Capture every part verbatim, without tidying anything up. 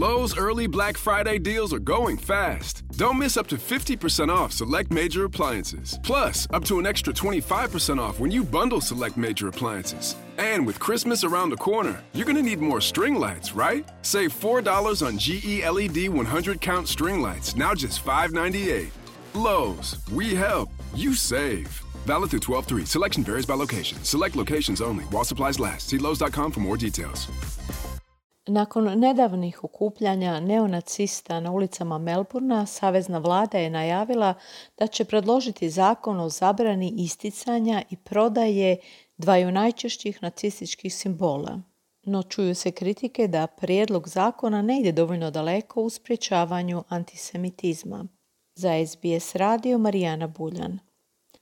Lowe's early Black Friday deals are going fast. Don't miss up to fifty percent off select major appliances. Plus, up to an extra twenty-five percent off when you bundle select major appliances. And with Christmas around the corner, you're going to need more string lights, right? Save four dollars on G E L E D one hundred count string lights, now just five ninety-eight. Lowe's, we help, you save. Valid through twelve three. Selection varies by location. Select locations only. While supplies last. See lowes dot com for more details. Nakon nedavnih okupljanja neonacista na ulicama Melbourna, savezna vlada je najavila da će predložiti zakon o zabrani isticanja i prodaje dvaju najčešćih nacističkih simbola. No čuju se kritike da prijedlog zakona ne ide dovoljno daleko u sprječavanju antisemitizma. Za S B S radio Marijana Buljan.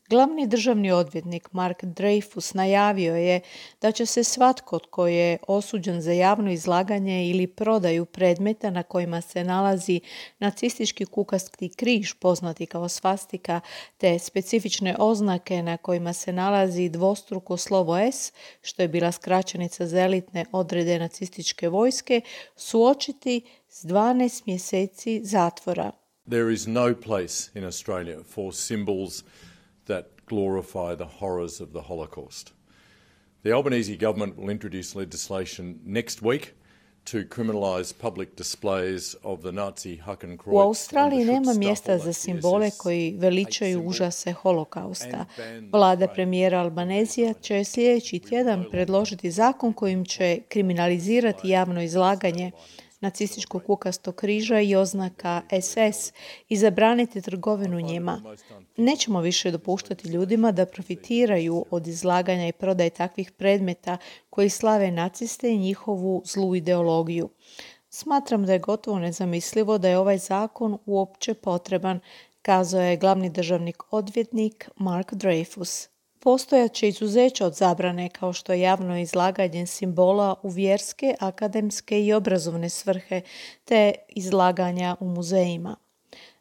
Glavni državni odvjetnik Mark Dreyfus najavio je da će se svatko tko je osuđen za javno izlaganje ili prodaju predmeta na kojima se nalazi nacistički kukasti križ poznati kao svastika te specifične oznake na kojima se nalazi dvostruko slovo S, što je bila skraćenica za elitne odrede nacističke vojske, suočiti s dvanaest mjeseci zatvora. There is no place in Australia for symbols that glorify the horrors of the Holocaust. The Albanese government will introduce legislation next week to criminalise public displays of the Nazi Hakenkreuz. U Australiji nema mjesta za simbole koji veličaju užase holokausta. Vlada premijera Albanezija će sljedeći tjedan predložiti zakon kojim će kriminalizirati javno izlaganje nacističkog kukastog križa i oznaka S S i zabraniti trgovinu njima. Nećemo više dopuštati ljudima da profitiraju od izlaganja i prodaje takvih predmeta koji slave naciste i njihovu zlu ideologiju. Smatram da je gotovo nezamislivo da je ovaj zakon uopće potreban, kazao je glavni državni odvjetnik Mark Dreyfus. Postojaće izuzeća od zabrane kao što je javno izlaganje simbola u vjerske, akademske i obrazovne svrhe te izlaganja u muzejima.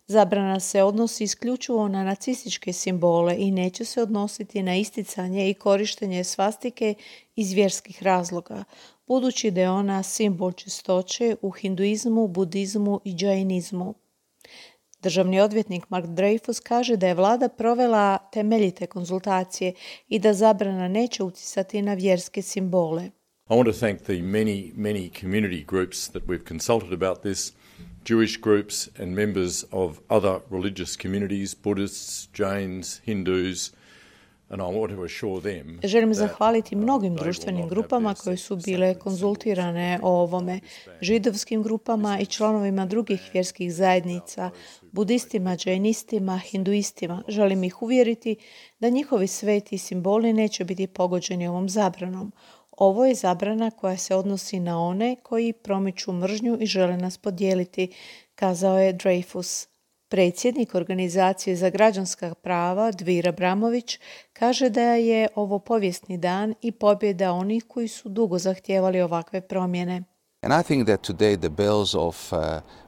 Zabrana se odnosi isključivo na nacističke simbole i neće se odnositi na isticanje i korištenje svastike iz vjerskih razloga, budući da je ona simbol čistoće u hinduizmu, budizmu i džainizmu. Državni odvjetnik Mark Dreyfus kaže da je vlada provela temeljite konzultacije i da zabrana neće utjecati na vjerske simbole. I want to thank the many, many community groups that we've consulted about this, Jewish groups and members of other religious communities, Buddhists, Jains, Hindus, and I want to assure them. Želim zahvaliti mnogim društvenim grupama koje su bile konzultirane o ovome, židovskim grupama i članovima drugih vjerskih zajednica, budistima, džajnistima, hinduistima. Želim ih uvjeriti da njihovi sveti simboli neće biti pogođeni ovom zabranom. Ovo je zabrana koja se odnosi na one koji promiču mržnju i žele nas podijeliti, kazao je Dreyfus. Predsjednik Organizacije za građanska prava Dvir Abramović kaže da je ovo povijesni dan i pobjeda onih koji su dugo zahtijevali ovakve promjene. And I think that today the bells of uh,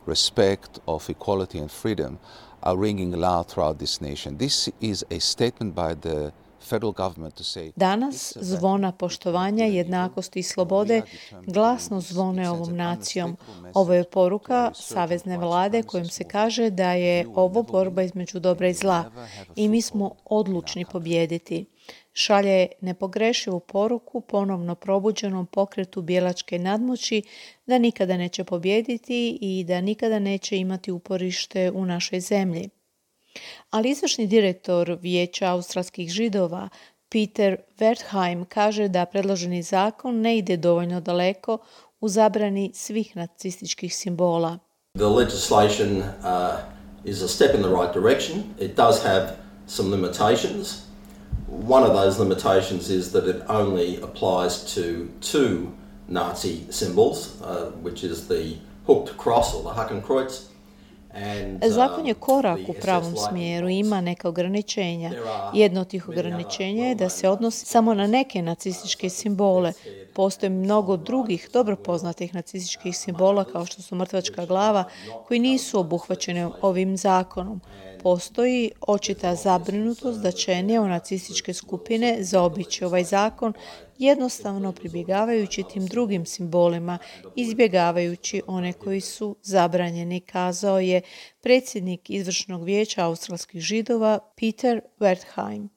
respect, of equality and freedom are ringing loud throughout this nation. This is a statement by the Danas zvona poštovanja, jednakosti i slobode glasno zvone ovom nacijom. Ovo je poruka savezne vlade kojom se kaže da je ovo borba između dobra i zla i mi smo odlučni pobijediti. Šalje nepogrešivu poruku ponovno probuđenom pokretu bijelačke nadmoći da nikada neće pobijediti i da nikada neće imati uporište u našoj zemlji. Ali izvršni direktor Vijeća australskih židova Peter Wertheim kaže da predloženi zakon ne ide dovoljno daleko u zabrani svih nacističkih simbola. The legislation uh, is a step in the right direction. It does have some limitations. One of those limitations is that it only applies to two Nazi symbols, uh, which is the hooked cross or the Hakenkreuz. Zakon je korak u pravom smjeru i ima neka ograničenja. Jedno od tih ograničenja je da se odnosi samo na neke nacističke simbole. Postoji mnogo drugih dobro poznatih nacističkih simbola kao što su mrtvačka glava koji nisu obuhvaćene ovim zakonom. postoji očita zabrinutost da će neonacističke skupine zaobići ovaj zakon, jednostavno pribjegavajući tim drugim simbolima, izbjegavajući one koji su zabranjeni, kazao je predsjednik izvršnog vijeća australskih Židova Peter Wertheim.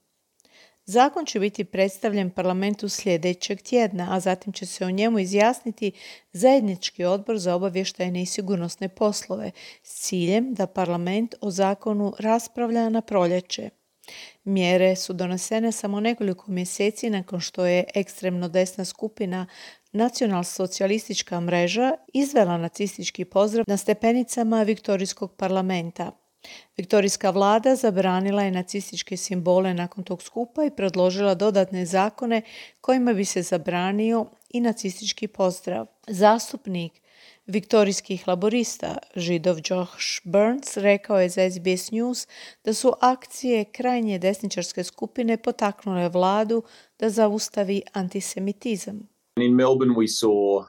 Zakon će biti predstavljen parlamentu sljedećeg tjedna, a zatim će se o njemu izjasniti zajednički odbor za obavještajne i sigurnosne poslove s ciljem da parlament o zakonu raspravlja na proljeće. Mjere su donesene samo nekoliko mjeseci nakon što je ekstremno desna skupina Nacionalsocijalistička mreža izvela nacistički pozdrav na stepenicama Viktorijskog parlamenta. Viktorijska vlada zabranila je nacističke simbole nakon tog skupa i predložila dodatne zakone kojima bi se zabranio i nacistički pozdrav. Zastupnik viktorijskih laborista, Židov Josh Burns, rekao je za S B S News da su akcije krajnje desničarske skupine potaknule vladu da zaustavi antisemitizam. In Melbourne we saw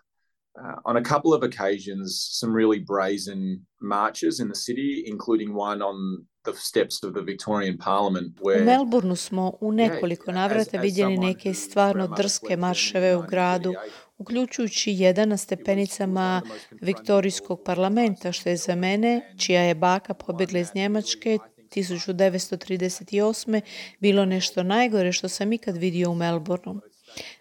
Uh, on a couple of occasions, some really brazen marches in the city, including one on the steps of the Victorian Parliament. Where, u Melbourneu smo u nekoliko navrata vidjeli neke stvarno drske marševe u gradu, uključujući jedan na stepenicama Viktorijskog parlamenta, što je za mene, čija je baka pobjegla iz Njemačke tisuću devetsto trideset osme, bilo nešto najgore što sam ikad vidio u Melbourneu.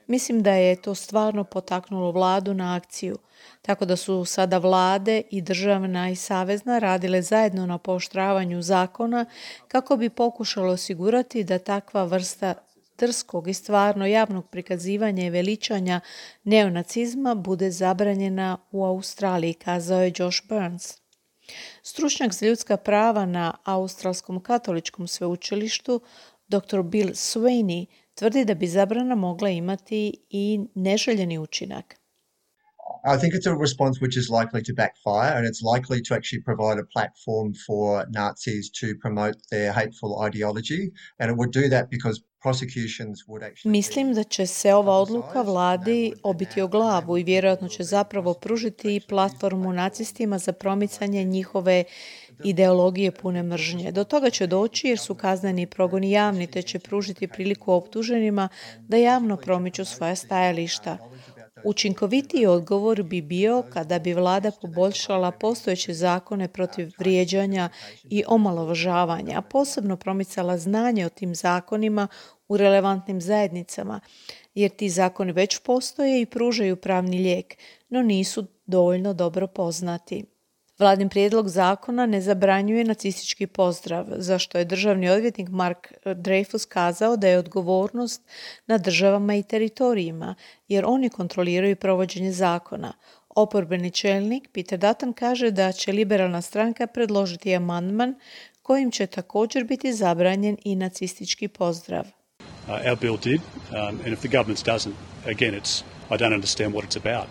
Mislim da je to stvarno potaknulo vladu na akciju, tako da su sada vlade i državna i savezna radile zajedno na pooštravanju zakona kako bi pokušalo osigurati da takva vrsta drskog i stvarno javnog prikazivanja i veličanja neonacizma bude zabranjena u Australiji, kazao je Josh Burns. Stručnjak za ljudska prava na Australskom katoličkom sveučilištu doktor Bill Sweeney tvrdi da bi zabrana mogla imati i neželjeni učinak. I think it's a response which is likely to backfire, and it's likely to actually provide a platform for Nazis to promote their hateful ideology, and it would do that because prosecutions would actually... Mislim da će se ova odluka vladi obiti o glavu i vjerojatno će zapravo pružiti platformu nacistima za promicanje njihove ideologije pune mržnje. Do toga će doći jer su kazneni progoni javni, te će pružiti priliku optuženima da javno promiču svoja stajališta. Učinkovitiji odgovor bi bio kada bi vlada poboljšala postojeće zakone protiv vrijeđanja i omalovažavanja, a posebno promicala znanje o tim zakonima u relevantnim zajednicama, jer ti zakoni već postoje i pružaju pravni lijek, no nisu dovoljno dobro poznati. Vladin prijedlog zakona ne zabranjuje nacistički pozdrav, za što je državni odvjetnik Mark Dreyfus kazao da je odgovornost na državama i teritorijima, jer oni kontroliraju provođenje zakona. Oporbeni čelnik Peter Dutton kaže da će liberalna stranka predložiti amandman kojim će također biti zabranjen i nacistički pozdrav. Uh, our bill did, um, and if the government doesn't, again, it's I don't understand what it's about.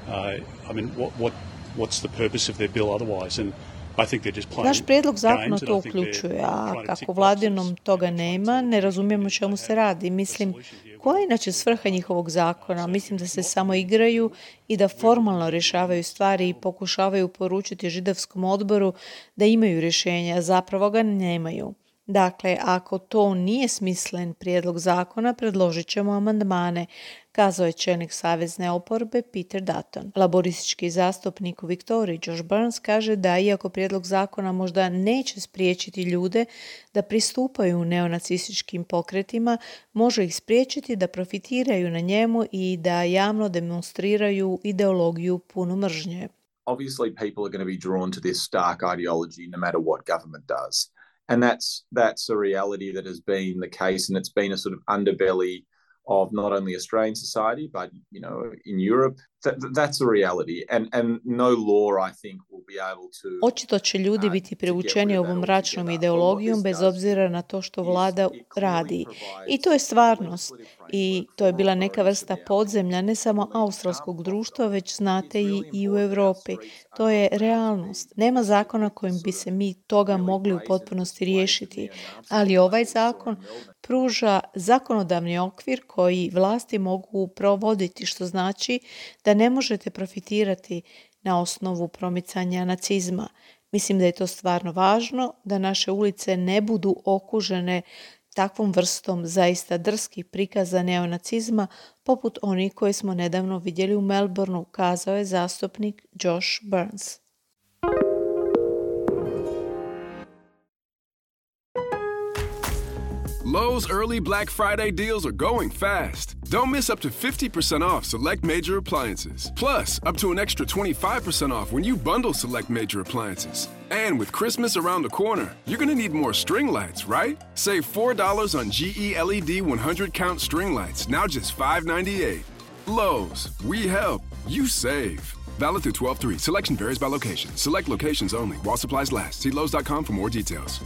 Uh, I mean, what what what's the purpose of their bill otherwise? And I think they're just playing. Naš prijedlog zakona to uključuje, a kako vladinom toga nema, ne razumijemo o čemu se radi. Mislim, koja je inače svrha njihovog zakona? Mislim da se samo igraju i da formalno rješavaju stvari i pokušavaju poručiti židovskom odboru da imaju rješenja, a zapravo ga nemaju. Dakle, ako to nije smislen prijedlog zakona, predložit ćemo amandmane, kazao je čelnik savezne oporbe Peter Dutton. Laboristički zastupnik u Viktoriji Josh Burns kaže da iako prijedlog zakona možda neće spriječiti ljude da pristupaju neonacističkim pokretima, može ih spriječiti da profitiraju na njemu i da javno demonstriraju ideologiju punu mržnje. Obviously, people are going to be drawn to this stark ideology no matter what government does. And that's that's a reality that has been the case, and it's been a sort of underbelly of not only Australian society, but you know, in Europe. That, that's a reality, and and no law, I think, will be able to. Očito će ljudi biti privučeni ovom mračnom ideologijom bez obzira na to što vlada radi. I to je stvarnost. I to je bila neka vrsta podzemlja ne samo australskog društva, već znate i, i u Europi. To je realnost. Nema zakona kojim bi se mi toga mogli u potpunosti riješiti, ali ovaj zakon pruža zakonodavni okvir koji vlasti mogu provoditi, što znači da ne možete profitirati na osnovu promicanja nacizma. Mislim da je to stvarno važno, da naše ulice ne budu okužene takvom vrstom zaista drskih prikaza neonacizma, poput onih koje smo nedavno vidjeli u Melbourneu, kazao je zastupnik Josh Burns. Lowe's early Black Friday deals are going fast. Don't miss up to fifty percent off select major appliances. Plus, up to an extra twenty-five percent off when you bundle select major appliances. And with Christmas around the corner, you're going to need more string lights, right? Save four dollars on G E L E D one hundred count string lights, now just five ninety-eight. Lowe's, we help, you save. Valid through twelve three. Selection varies by location. Select locations only. While supplies last. See Lowe's dot com for more details.